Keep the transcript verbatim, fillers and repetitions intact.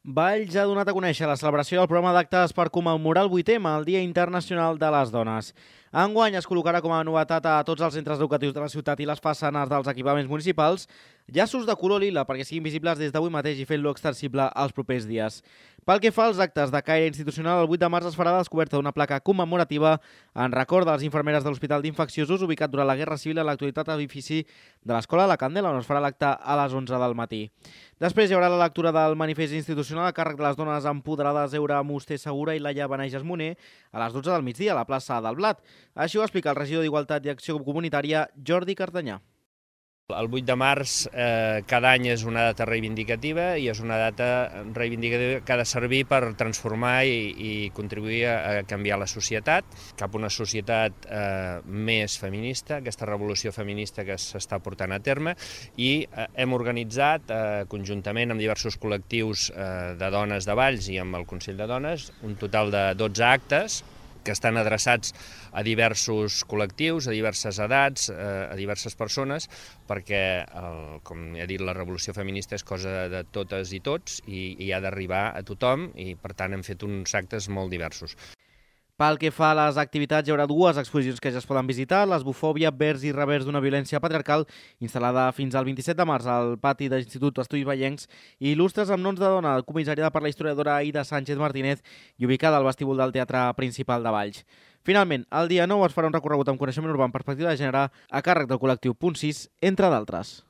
Valls ha donat a conèixer la celebració del programa d'actes per commemorar el vuitè M, el Dia Internacional de les Dones. Enguany es col·locarà com a novetat a tots els centres educatius de la ciutat i les façanes dels equipaments municipals llaços de color lila perquè siguin visibles des d'avui mateix i fent-lo extensible als propers dies. Pel que fa als actes de caire institucional, el vuit de març es farà la descoberta d'una placa commemorativa en record de les infermeres de l'Hospital d'Infecciosos ubicat durant la Guerra Civil a l'actualitat edifici de l'Escola La Candela, on es farà l'acte a les onze del matí. Després hi haurà la lectura del manifest institucional a càrrec de les dones empoderades Eura Musté Segura i Laia Benejas Moner a les dotze del migdia a la plaça del Blat. Així ho explica el regidor d'Igualtat i Acció Comunitària, Jordi Cartanyà. El vuit de març eh, cada any és una data reivindicativa i és una data reivindicativa que ha de servir per transformar i, i contribuir a canviar la societat cap a una societat eh, més feminista, aquesta revolució feminista que s'està portant a terme, i eh, hem organitzat eh, conjuntament amb diversos col·lectius eh, de dones de Valls i amb el Consell de Dones un total de dotze actes que estan adreçats a diversos col·lectius, a diverses edats, a diverses persones, perquè, com he dit, la revolució feminista és cosa de totes i tots i, i ha d'arribar a tothom i, per tant, hem fet uns actes molt diversos. Pel que fa a les activitats, hi haurà dues exposicions que ja es poden visitar, l'esbufòbia, vers i revers d'una violència patriarcal, instal·lada fins al vint-i-set de març al pati de l'Institut Estudis Vallencs, i il·lustres amb noms de dona, comissariada per la historiadora Aida Sánchez Martínez i ubicada al vestíbul del Teatre Principal de Valls. Finalment, el dia nou es farà un recorregut amb coneixement urbà en perspectiva de gènere a càrrec del col·lectiu Punt sis, entre d'altres.